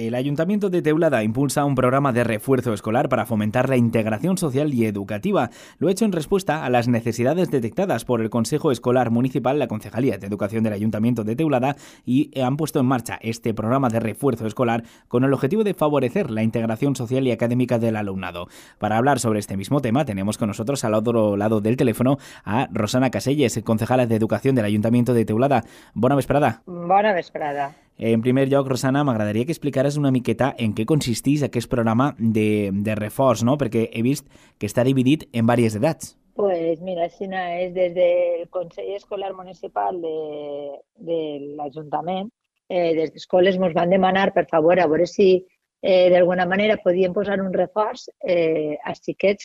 El Ayuntamiento de Teulada impulsa un programa de refuerzo escolar para fomentar la integración social y educativa. Lo ha hecho en respuesta a las necesidades detectadas por el Consejo Escolar Municipal, la Concejalía de Educación del Ayuntamiento de Teulada, y han puesto en marcha este programa de refuerzo escolar con el objetivo de favorecer la integración social y académica del alumnado. Para hablar sobre este mismo tema tenemos con nosotros al otro lado del teléfono a Rosana Caselles, concejala de Educació de l'Ajuntament de Teulada. Bona vesprada. Bona vesprada. En primer lloc, Rosana, m'agradaria que explicares una miqueta en què consisteix aquest programa de reforç, no? Perquè he vist que està dividit en diverses edats. Pues mira, Xina és des del Consell Escolar Municipal de l'Ajuntament, des d'escoles ens van demanar, per favor, a veure si d'alguna manera podien posar un reforç als xiquets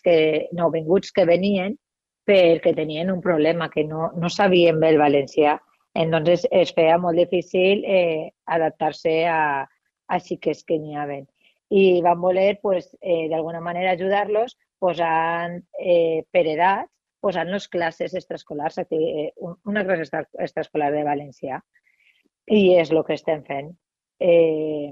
nouvinguts que venien perquè tenien un problema, que no sabien bé el valencià. Entonces es feia molt difícil adaptar-se a xiquets que n'hi havia. I vam voler, pues, d'alguna manera, ajudar-los posant per edats, posant-los classes extraescolars, una classe extraescolar de valencià. I és el que estem fent. Hi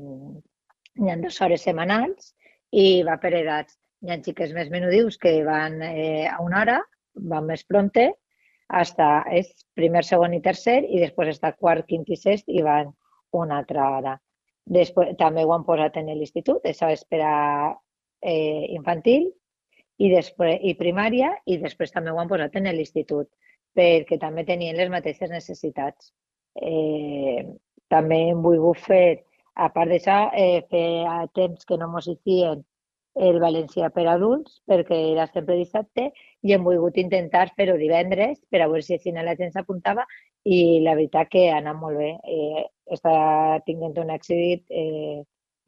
ha 2 hores setmanals i va per edats. Hi ha xiques més menudius que van a 1 hora, van més prompte, és primer, segon i tercer, i després està quart, quint i sest i van una altra hora. Després, també ho han posat en l'institut, això és per a infantil i primària, i després també ho han posat en l'institut, perquè també tenien les mateixes necessitats. També hem volgut fer, a part d'això, feia temps que no mos hicien el valencià per adults, perquè era sempre dissabte, i hem volgut intentar fer-ho divendres per a veure si així la gent s'apuntava, i la veritat que ha anat molt bé. Està tinguent un èxit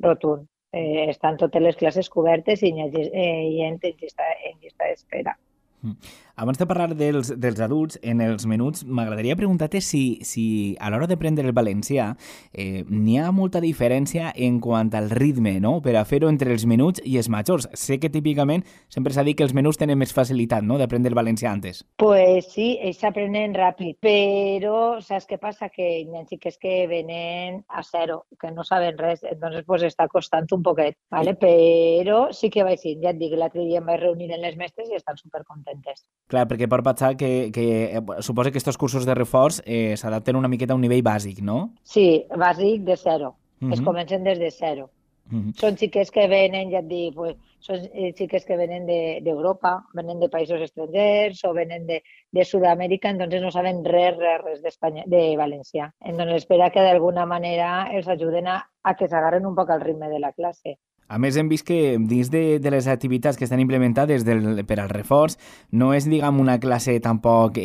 rotund. Estan totes les classes cobertes i hi ha gent en llista d'espera. Abans de parlar dels adults, en els menuts, m'agradaria preguntar-te si a l'hora de prendre el valencià n'hi ha molta diferència en quant al ritme, no?, per a fer-ho entre els menuts i els majors. Sé que típicament sempre s'ha dit que els menuts tenen més facilitat, no?, d'aprendre el valencià antes. Pues sí, ells s'aprenen ràpid, però saps què passa? Que hi ha xiques que venen a zero, que no saben res, entonces pues està costant un poquet, ¿vale? Però sí que vaig dir, ja et dic, l'altre dia em vaig reunir amb les mestres i estan supercontentes. Clar, perquè pot passar que suposa que aquests cursos de reforç s'adapten una miqueta a un nivell bàsic, no? Sí, bàsic de zero. Es Mhm. comencen des de zero. Mhm. Són xiques que venen, ja et dic, pues, són xiques que venen d'Europa, venen de països estrangers o venen de Sud-amèrica, entonces no saben res d'Espanya, de valencià. Entonces espera que d'alguna manera els ajuden a que s'agarren un poc al ritme de la classe. A més, hem vist que dins de les activitats que estan implementades per al reforç no és, diguem, una classe tampoc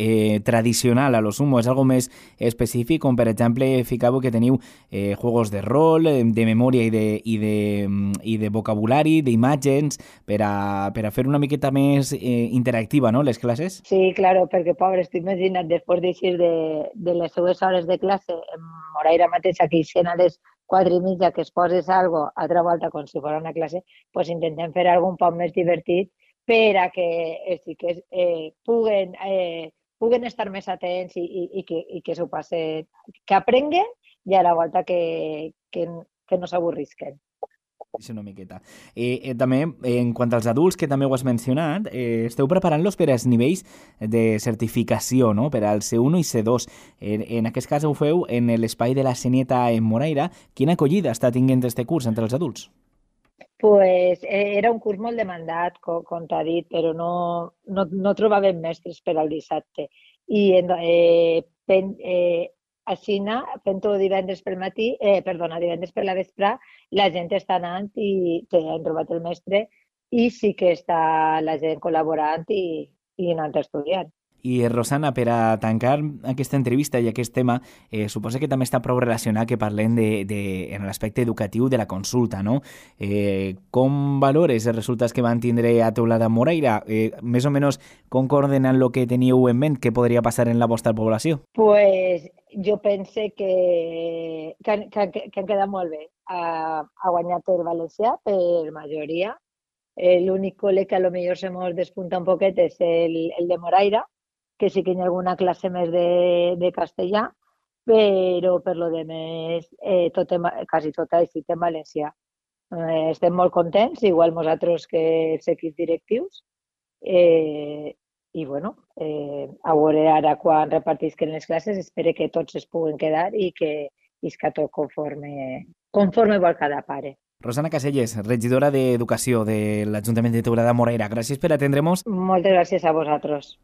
tradicional a lo sumo, és algo més específic, com per exemple, ficau que teniu juegos de rol, de memòria i de vocabulari, d'imatges, per a fer una miqueta més interactiva, no?, les classes? Sí, claro, perquè, pobres, t'ho imagina't, després d'eixir de les seues hores de classe, en Moraira mateixa, que eixen a les 4:30, que es poses algo altra volta com si fos una classe, pues intentem fer algo un poc més divertit per a que els xiquets puguen estar més atents i que s'ho passen, que aprenguen i a la volta que no s'avorrisquen. És una miqueta. També, en quant als adults, que també ho has mencionat, esteu preparant-los per als nivells de certificació, no?, per al C1 i C2. En aquest cas ho feu en l'espai de la Senieta en Moraira. Quina acollida està tinguent este curs entre els adults? Pues era un curs molt demandat, com t'ha dit, però no trobàvem mestres per al dissabte. I així, fent-ho divendres divendres per la vespre, la gent està anant i han trobat el mestre i sí que està la gent col·laborant i anant estudiant. I, Rosana, per a tancar aquesta entrevista i aquest tema, suposa que també està prou relacionat que parlem en l'aspecte educatiu de la consulta, no? Com valores els resultats que van tindre a Teulada Moraira? Més o menys concorden amb el que teníeu en ment que podria passar en la vostra població? Pues jo pense que han quedat molt bé. Ha guanyat el valencià per majoria. L'únic col·le que a lo millor se mos despunta un poquet és el de Moraira, que sí que hi ha alguna classe més de castellà, però per lo demés quasi tot ha estat en valencià. Estem molt contents, igual nosaltres que els equips directius, i bueno, a veure ara quan repartisquen les classes, espero que tots es puguen quedar i que isca tot conforme vol cada pare. Rosana Caselles, regidora d'Educació de l'Ajuntament de Teulada Morera, gràcies per atendre'ns. Moltes gràcies a vosaltres.